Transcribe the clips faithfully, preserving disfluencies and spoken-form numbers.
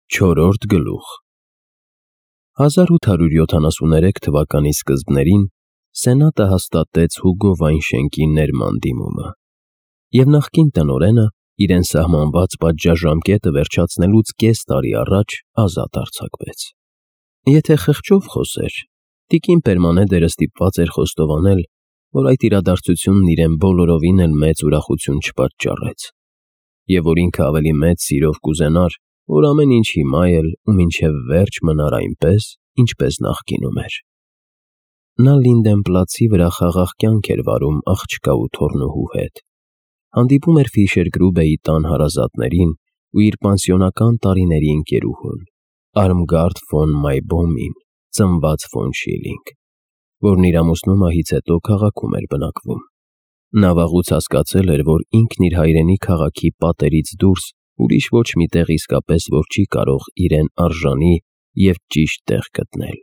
Չորրորդ գլուխ հազար ութ հարյուր յոթանասուներեք թվականի սկզբներին Սենատը հաստատեց Հուգո Վայնշենկի ներման դիմումը, և նախկին տնօրենը իրեն սահմանված պատժաժամկետը վերջացնելուց կես տարի առաջ ազատ արձակվեց։ Եթե խղճով խոսեր, տիկին Պերմանեդերը ստիպված էր խոստովանել, որ այդ իրադարձությունն իրեն բոլորովին էլ մեծ ուրախություն չպատճառեց, և որ ինքը ավելի մեծ սիրով կուզենար, որ ամեն ինչ հիմա էլ ու մինչև վերջ մնար այնպես, ինչպես նախկինում էր։ Նա Լինդենպլացի վրա խաղաղ կյանք էր վարում աղջկա ու թոռնուհու հետ, հանդիպում էր Ֆիշերգրուբեի տան հարազատներին ու իր պանսիոնական տարիների ընկերուհուն՝ Արմգարդ ֆոն Մայբոմին, ծնված ֆոն Շիլինգ, որն իր ամուսնու մահից հետո քաղաքում էր բնակվում։ Նա վաղուց հասկացել էր, որ ինքն իր հայրենի քաղաքի պատերից դուրս ուրիշ ոչ մի տեղ իսկապես որ չի կարող իրեն արժանի և ճիշտ տեղ գտնել։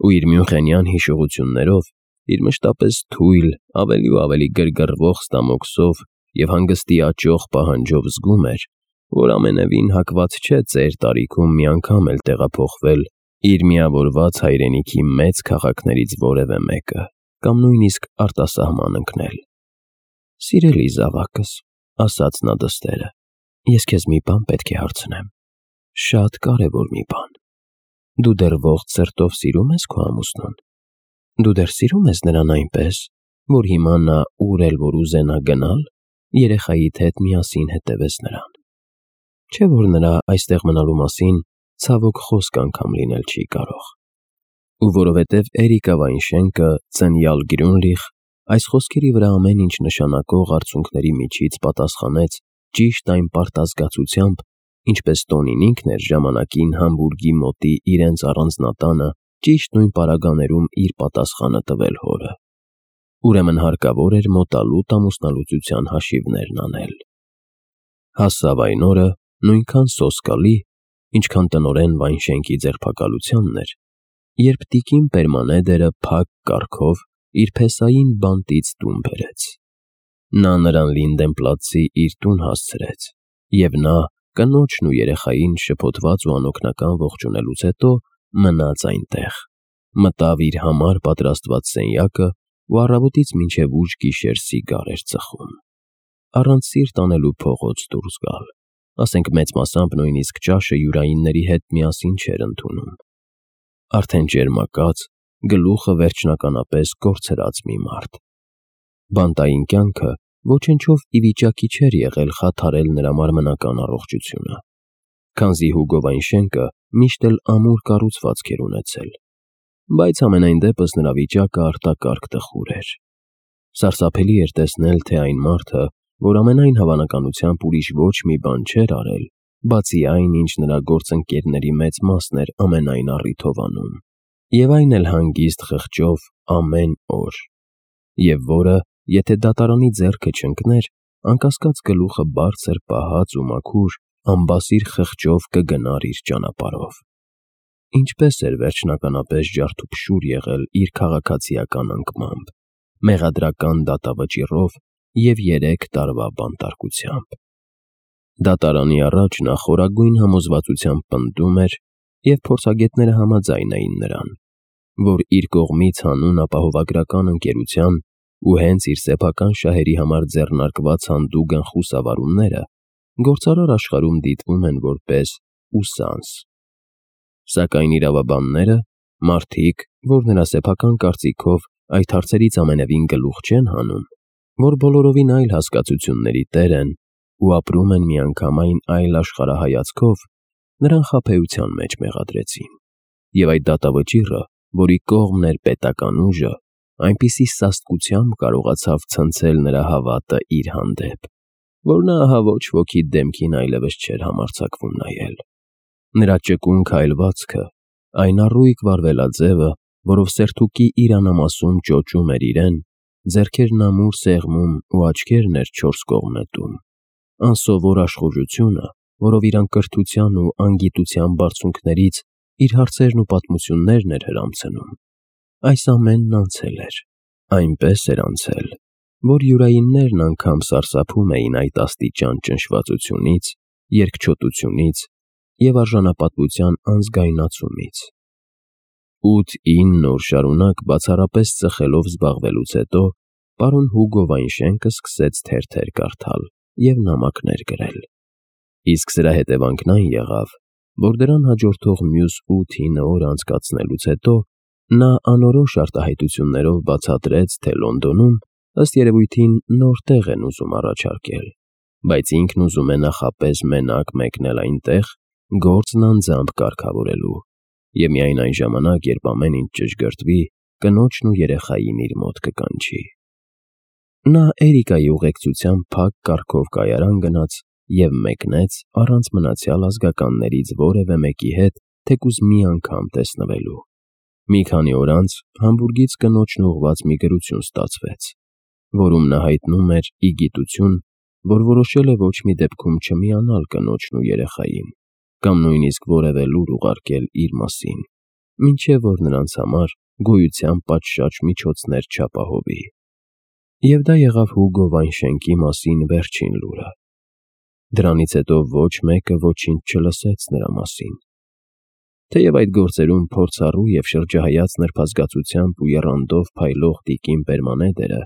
Ու իր մյունխենյան հիշողություններով, իր մշտապես թույլ, ավելի ու ավելի գրգռվող ստամոքսով և հանգստի աճող պահանջով զգում էր, որ ամենևին հակված չէ ծեր տարիքում մի անգամ էլ տեղափոխվել իր միավորված հայրենիքի մեծ քաղաքներից որևէ մեկը կամ նույնիսկ արտասահման ընկնել։ «Սիրելի զավակս», ասաց նա դստերը, «ես քեզ մի բան պետք է հարցնեմ, շատ կարևոր մի բան։ Դու դեռ ողջ սրտով սիրում ես քո ամուսնուն։ Դու դեռ սիրում ես նրան այնպես, որ հիմա նա ուր էլ որ ուզենա գնալ, երեխայիդ հետ միասին հետևես նրան։ Չէ՞ որ նրա այստեղ մնալու մասին ցավոք խոսք անգամ լինել չի կարող»։ Ու որովհետև Էրիկա Վայնշենկը ծնյալ Գրյունլիխ այս խոսքերի վրա ամեն ինչ նշանակող արցունքների միջից պատասխանեց ճիշտ այն պարտազգացությամբ, ինչպես Տոնին ինքն էր ժամանակին Համբուրգի մոտի իրենց առանձնատանը ճիշտ նույն պարագաներում իր պատասխանը տվել հորը, ուրեմն հարկավոր էր մոտալուտ ամուսնալուծության հաշիվներն անել։ Հասավ այն օրը նույնքան սոսկալի, ինչքան տնօրեն Վայնշենկի ձերբակալությանն էր, երբ տիկին Պերմանեդերը փակ կառքով իր փեսային բանտից տուն բերեց։ Նա նրան Լինդենպլացի իր տուն հասցրեց, և նա, կնոջն ու երեխային շփոթված ու անօգնական ողջունելուց հետո, մնաց այնտեղ, մտավ իր համար պատրաստված սենյակը ու առավոտից մինչև ուշ գիշեր սիգար էր ծխում, առանց սիրտ անելու փողոց դուրս գալ, ասենք մեծ մասամբ նույնիսկ ճաշը յուրայինների հետ միասին չէր ընդունում։ Արդեն ճերմակած, գլուխը վերջնականապես կորցրած մի մարդ։ Բանտային կյանքը ոչնչով ի վիճակի չէր եղել խաթարել նրա մարմնական առողջությունը, քանզի Հուգո Վայնշենկը միշտ էլ ամուր կառուցվածք էր ունեցել, բայց համենայն դեպս նրա վիճակը արտակարգ տխուր էր։ Սարսափելի էր տեսնել, թե այն մարդը, որ ամենայն հավանականությամբ ուրիշ ոչ մի բան չէր արել, բացի այն, ինչ նրա գործընկերների մեծ մասն էր ամենայն առիթով անում, և այն էլ հանգիստ խղճով ամեն օր, և որը, եթե դատարանի ձեռքը չընկներ, անկասկած գլուխը բարձր պահած ու մաքուր, անբասիր խղճով կգնար իր ճանապարհով։ Ինչպես էր վերջնականապես ջարդուփշուր եղել իր քաղաքացիական անկմամբ, մեղադրական դատավճիռով և երեք տարվա բանտարկությամբ։ Դատարանի առաջ նա խորագույն համոզվածությամբ պնդում էր, և փորձագետները համաձայն էին նրան, որ իր կողմից հանուն ապահովագրական ընկերության ու հենց իր սեփական շահերի համար ձեռնարկված հանդուգն խուսավառումները գործարար աշխարհում դիտվում են որպես ուսանց։ Սակայն իրավաբանները, մարդիկ, որ նրա սեփական կարծիքով այդ հարցերից ամենևին գլուխ չեն հանում, որ բոլորովին այլ հասկացությունների տեր են ու ապրում են միանգամայն այլ աշխարհայացքով, նրան խաբեության մեջ մեղադրեցին, և այդ դատավճիռը, որի կողմն էր պետական ուժը, այնպիսի սաստկությամբ կարողացավ ցնցել նրա հավատը իր հանդեպ, որ նա ահա ոչ ոքի դեմքին այլևս չէր համարձակվում նայել։ Նրա ճկուն քայլվածքը, այն առույգ վարվելաձևը, որով սերթուկի իր անամասում ճոճում էր իրեն, ձեռքերն ամուր սեղմում ու աչքերն էր չորս կողմ նետում, անսովոր աշխուժությունը, որով իր անկրթության ու անգիտության բարձունքներից իր հարցերն ու պատմություններն էր հրամցնում, այս ամենն անցել էր, այնպես էր անցել, որ յուրայիններն անգամ սարսափում էին այդ աստիճան ճնշվածությունից, երկչոտությունից և արժանապատվության անզգայունացումից։ ութ-ինն օր շարունակ բացառապես ծխելով զբաղվելուց հետո պարոն Հուգո Վայնշենկը սկսեց թերթեր կարդալ և նամակներ գրել, իսկ սրա հետևանքն այն եղավ, որ դրան հաջորդող մյուս ութ-ինը օր անցկացնելուց հետո նա անորոշ արտահայտություններով բացատրեց, թե Լոնդոնում, ըստ երևույթին, նոր տեղ են ուզում առաջարկել, բայց ինքն ուզում է նախապես մենակ մեկնել այնտեղ, գործն անձամբ կարգավորելու և միայն այն ժամանակ, երբ ամեն ինչ ճշգրտվի, կնոջն ու երեխային իր մոտ կկանչի։ Նա Էրիկայի ուղեկցությամբ փակ կառքով կայարան գնաց և մեկնեց առանց մնացյալ ազգականներից որևէ մեկի հետ թեկուզ մի անգամ տեսնվելու։ Մի քանի օր անց Համբուրգից կնոջն ուղղված մի գրություն ստացվեց, որում նա հայտնում էր ի գիտություն, որ որոշել է ոչ մի դեպքում չմիանալ կնոջն ու երեխային կամ նույնիսկ որևէ լուր ուղարկել իր մասին, մինչև որ նրանց համար գոյության պատշաճ միջոցներ չապահովի։ Եվ դա եղավ Հուգո Վայնշենկի մասին վերջին լուրը։ Դրանից հետո ոչ մեկը ոչինչ չլսեց նրա մասին։ Թեև այդ գործերում փորձառու և շրջահայաց նրբազգացությամբ ու եռանդով փայլող տիկին Պերմանեդերը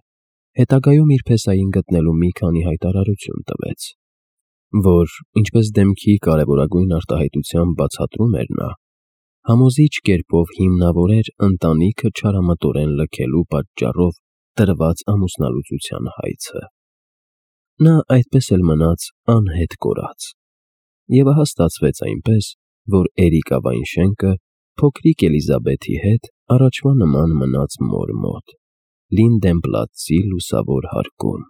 հետագայում իր փեսային գտնելու մի քանի հայտարարություն տվեց, որ, ինչպես դեմքի կարևորագույն արտահայտությամբ բացատրում էր նա, համոզիչ կերպով հիմնավոր էր ընտանիքը չարամտորեն լքելու պատճառով տրված ամուսնալուծության հայցը։ Նա այդպես էլ մնաց անհետ կորած, և ահա ստացվեց այնպես, որ Էրիկա Վայնշենկը փոքրիկ Էլիզաբեթի հետ առաջվա նման մնաց մոր մոտ՝ Լինդենպլացի լուսավոր հարկում։